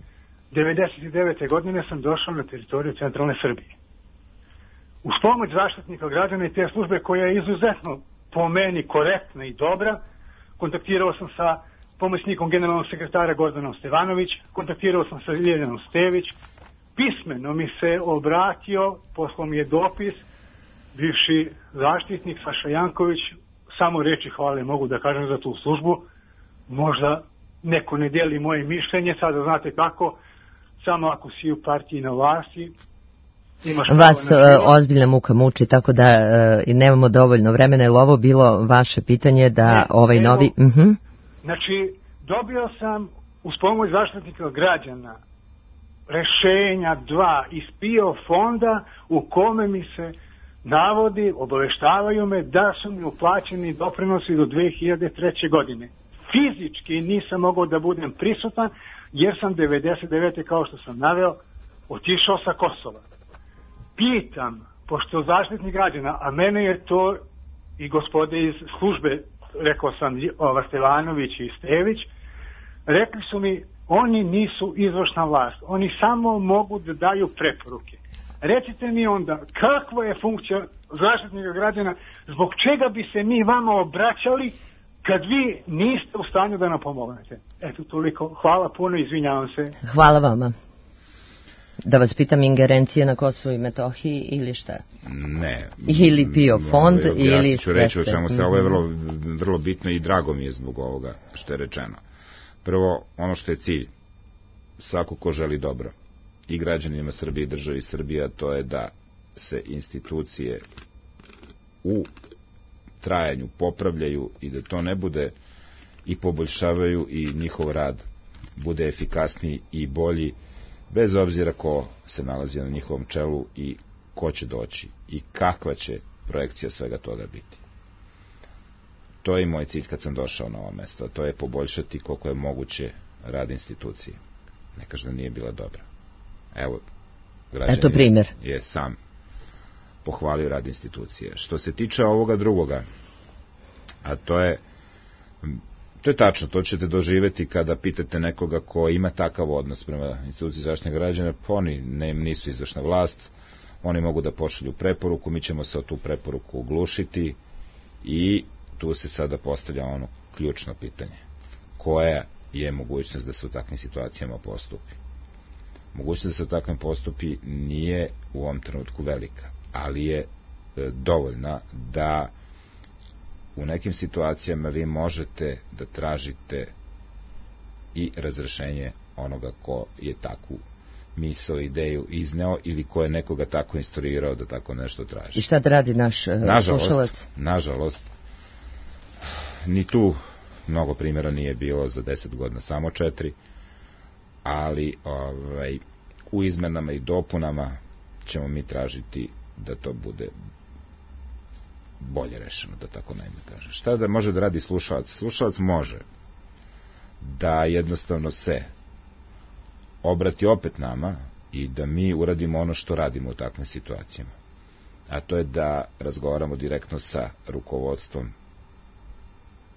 1999. godine sam došao na teritoriju centralne Srbije. Uz pomoć Zaštitnika građana i te službe koja je izuzetno po meni korektna i dobra, kontaktirao sam sa pomoćnikom generalnog sekretara Gordanom Stevanović, kontaktirao sam sa Ljeljanom Stević, pismeno mi se obratio, poslao mi je dopis, bivši zaštitnik Saša Janković, samo reči hvale mogu da kažem za tu službu, možda neko ne dijeli moje mišljenje, sada znate kako, samo ako si u partiji na vlasti, vas ozbiljna muka muči, tako da nemamo dovoljno vremena, je li ovo bilo vaše pitanje da ovaj novi... Znači, dobio sam uz pomoć Zaštitnika građana rešenja 2 iz PIO fonda u kome mi se navodi, obaveštavaju me da su mi uplaćeni doprinosi do 2003. godine. Fizički nisam mogao da budem prisutan, jer sam 99. kao što sam naveo, otišao sa Kosova. Pitam, pošto zaštitnik građana, a mene je to i gospode iz službe, rekao sam Stevanović i Stević, rekli su mi, oni nisu izvršna vlast, oni samo mogu da daju preporuke. Recite mi onda, kakva je funkcija zaštitnika građana, zbog čega bi se mi vama obraćali kad vi niste u stanju da nam pomognete? Eto, toliko. Hvala puno, izvinjavam se. Hvala vama. Da vas pitam, ingerencije na Kosovu i Metohiji ili šta? Ne. Ili PIO fond ili... Ja ću reći o čemu se, ovo je vrlo bitno i drago mi je zbog ovoga što je rečeno. Prvo, ono što je cilj, svako ko želi dobro, i građanima Srbije i državi Srbija, to je da se institucije u trajanju popravljaju i da to ne bude i poboljšavaju i njihov rad bude efikasniji i bolji, bez obzira ko se nalazi na njihovom čelu i ko će doći i kakva će projekcija svega toga biti. To je i moj cilj kad sam došao na ovo mesto, a to je poboljšati koliko je moguće rad institucije. Ne kaže da nije bila dobra. Evo, građanin je sam pohvalio rad institucije. Što se tiče ovoga drugoga, a to je tačno, to ćete doživeti kada pitate nekoga ko ima takav odnos prema instituciji zaštitnih građana, pa oni nisu izvršna vlast, oni mogu da pošalju preporuku, mi ćemo se o tu preporuku oglušiti i tu se sada postavlja ono ključno pitanje. Koja je mogućnost da se u takvim situacijama postupi? Mogućnost da se u takvim postupi nije u ovom trenutku velika, ali je dovoljna da u nekim situacijama vi možete da tražite i razrešenje onoga ko je takvu misao, ideju izneo ili ko je nekoga tako instruirao da tako nešto traži. I šta da radi naš slušalac? Nažalost, ni tu mnogo primjera nije bilo za 10 godina, samo 4, ali u izmenama i dopunama ćemo mi tražiti da to bude bolje rešeno, da tako naime kaže. Šta da može da radi slušalac? Slušalac može da jednostavno se obrati opet nama i da mi uradimo ono što radimo u takvim situacijama. A to je da razgovaramo direktno sa rukovodstvom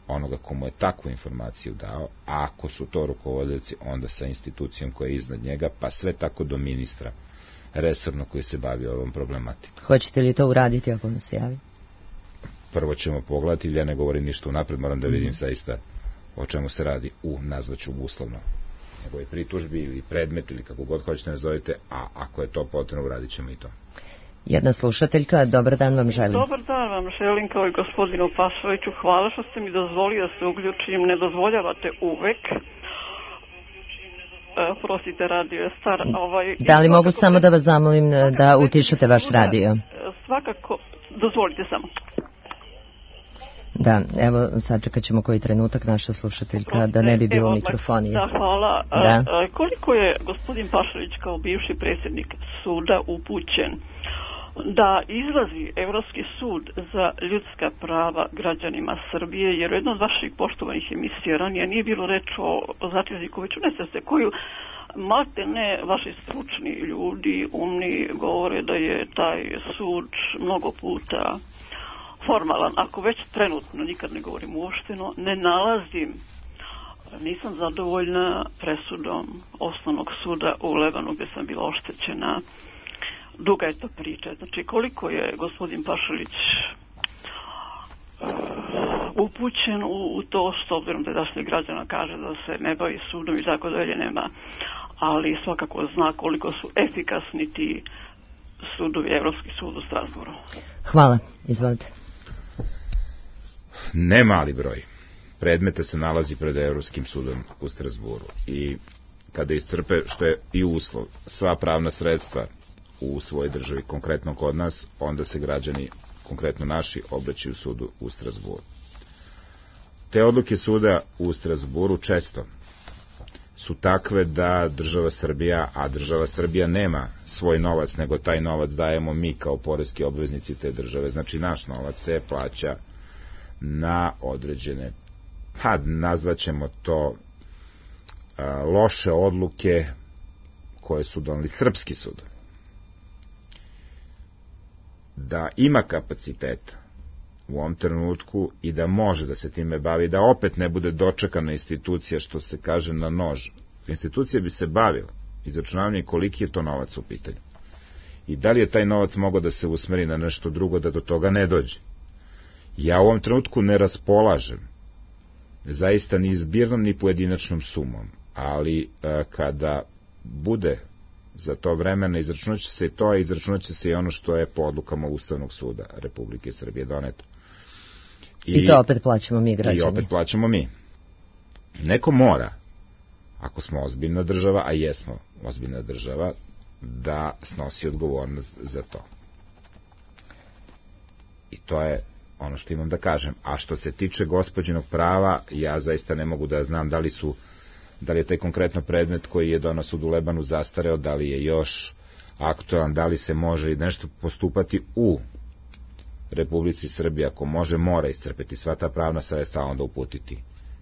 onoga komu je takvu informaciju dao, a ako su to rukovodioci, onda sa institucijom koja je iznad njega, pa sve tako do ministra resorno koji se bavi ovom problematikom. Hoćete li to uraditi ako vam se javi? Prvo ćemo pogledati, ja ne govorim ništa unapred, moram da vidim zaista o čemu se radi, nazvaću uslovno njegove pritužbi ili predmet ili kako god hoćete nazovite, a ako je to potrebno, uradit ćemo i to. Jedna slušateljka, dobar dan vam želim. Dobar dan vam želim kao i gospodinu Pašoviću, hvala što ste mi dozvolili da se uključim, ne dozvoljavate uvek. Prostite, radio je star. Da li mogu samo da vas zamolim da utišate vaš radio? Svakako, dozvolite samo. Da, evo sačekat ćemo koji trenutak naša slušateljka, da ne bi bilo mikrofonije. Da, hvala. Koliko je gospodin Pašović kao bivši predsjednik suda upućen da izlazi Evropski sud za ljudska prava građanima Srbije, jer u jednoj od vaših poštovanih emisija ranije nije bilo reč o Zatezikoviću, ne se koju malte ne vaši stručni ljudi, umni, govore da je taj sud mnogo puta formalan. Ako već trenutno, nikad ne govorim uopšteno, ne nalazim, nisam zadovoljna presudom osnovnog suda u Lebanu gdje sam bila oštećena. Duga je to priča. Znači, koliko je gospodin Pašalić upućen u to, s obzirom da se građana kaže da se ne bavi sudom i tako dalje, nema, ali svakako zna koliko su efikasni ti sudovi, Evropski sud u Strasburu. Hvala, izvolite. Ne mali broj predmeta se nalazi pred Evropskim sudom u Strasburu i kada iscrpe, što je i uslov, sva pravna sredstva u svojoj državi, konkretno kod nas, onda se građani, konkretno naši, obraćaju sudu u Strasburu. Te odluke suda u Strasburu često su takve da država Srbija, a država Srbija nema svoj novac, nego taj novac dajemo mi kao poreski obveznici te države. Znači, naš novac se plaća na određene, nazvaćemo to loše odluke koje su doneli srpski sudovi. Da ima kapaciteta u ovom trenutku i da može da se time bavi, da opet ne bude dočekana institucija, što se kaže, na nož. Institucija bi se bavila izračunavanjem koliki je to novac u pitanju. I da li je taj novac mogao da se usmeri na nešto drugo, da do toga ne dođe. Ja u ovom trenutku ne raspolažem zaista ni zbirnom ni pojedinačnom sumom, ali kada bude za to vremena izračunat će se i to, a izračunat će se i ono što je po odlukama Ustavnog suda Republike Srbije doneto. I to opet plaćamo mi, građani. I opet plaćamo mi. Neko mora, ako smo ozbiljna država, a jesmo ozbiljna država, da snosi odgovornost za to. I to je ono što imam da kažem. A što se tiče gospođinog prava, ja zaista ne mogu da znam da li je taj konkretno predmet koji je donao sud u Lebanu zastareo, da li je još aktualan, da li se može nešto postupati u Republici Srbiji. Ako može, mora iscrpeti sva ta pravna sredstva, a onda uputiti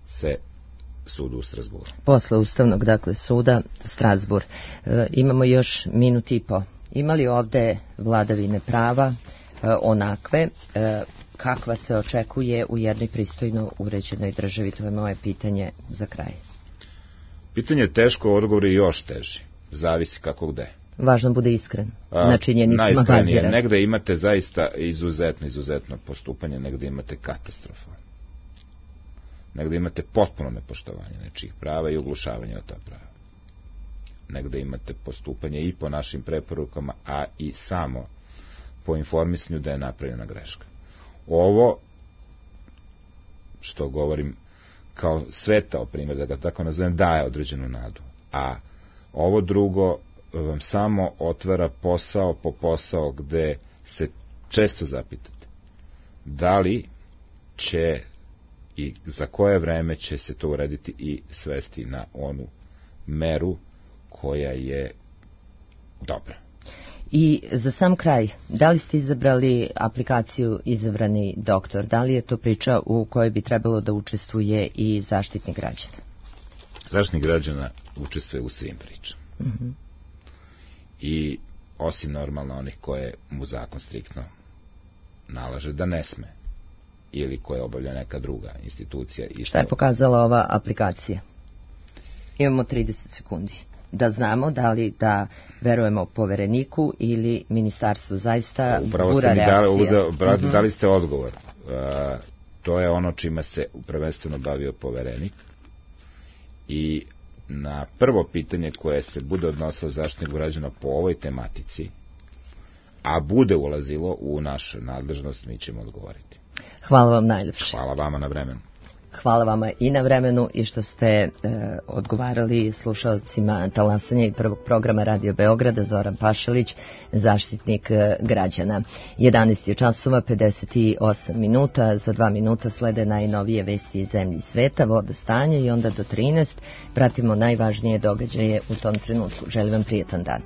se sudu u Strasburu. Posle Ustavnog, dakle, suda Strasbur. Imamo još minut i po. Ima li ovde vladavine prava onakve kakva se očekuje u jednoj pristojno uređenoj državi? To je moje pitanje za kraj. Pitanje je teško, odgovor je još teži. Zavisi kako gde. Važno bude iskren. Na činjenicama baziran. Negde imate zaista izuzetno postupanje, negde imate katastrofa. Negde imate potpuno nepoštovanje nečijih prava i uglušavanje od ta prava. Negde imate postupanje i po našim preporukama, a i samo po informisanju da je napravljena greška. Ovo, što govorim kao svetao primjer, da ga tako nazovem, daje određenu nadu. A ovo drugo vam samo otvara posao po posao gde se često zapitate da li će i za koje vreme će se to urediti i svesti na onu meru koja je dobra. I za sam kraj, da li ste izabrali aplikaciju Izabrani doktor? Da li je to priča u kojoj bi trebalo da učestvuje i Zaštitnik građana? Zaštitnik građana učestvuje u svim pričama. I osim normalno onih koje mu zakon striktno nalaže da ne sme ili koje obavlja neka druga institucija. Šta je pokazala ova aplikacija? Imamo 30 sekundi. Da znamo da li da verujemo Povereniku ili ministarstvu. Zaista bura reakcija. Dali ste odgovor. To je ono čime se prvenstveno bavio Poverenik i na prvo pitanje koje se bude odnosilo Zaštitniku građana po ovoj tematici, a bude ulazilo u našu nadležnost, mi ćemo odgovoriti. Hvala vam najljepše. Hvala vama na vremenu. Hvala vama i na vremenu i što ste odgovarali slušalcima talasanja i prvog programa Radio Beograda. Zoran Pašalić, Zaštitnik građana. 11 je časova, 58 minuta. Za 2 minuta slede najnovije vesti iz zemlji i sveta, vodostanje i onda do 13 pratimo najvažnije događaje u tom trenutku. Želim vam prijetan dan.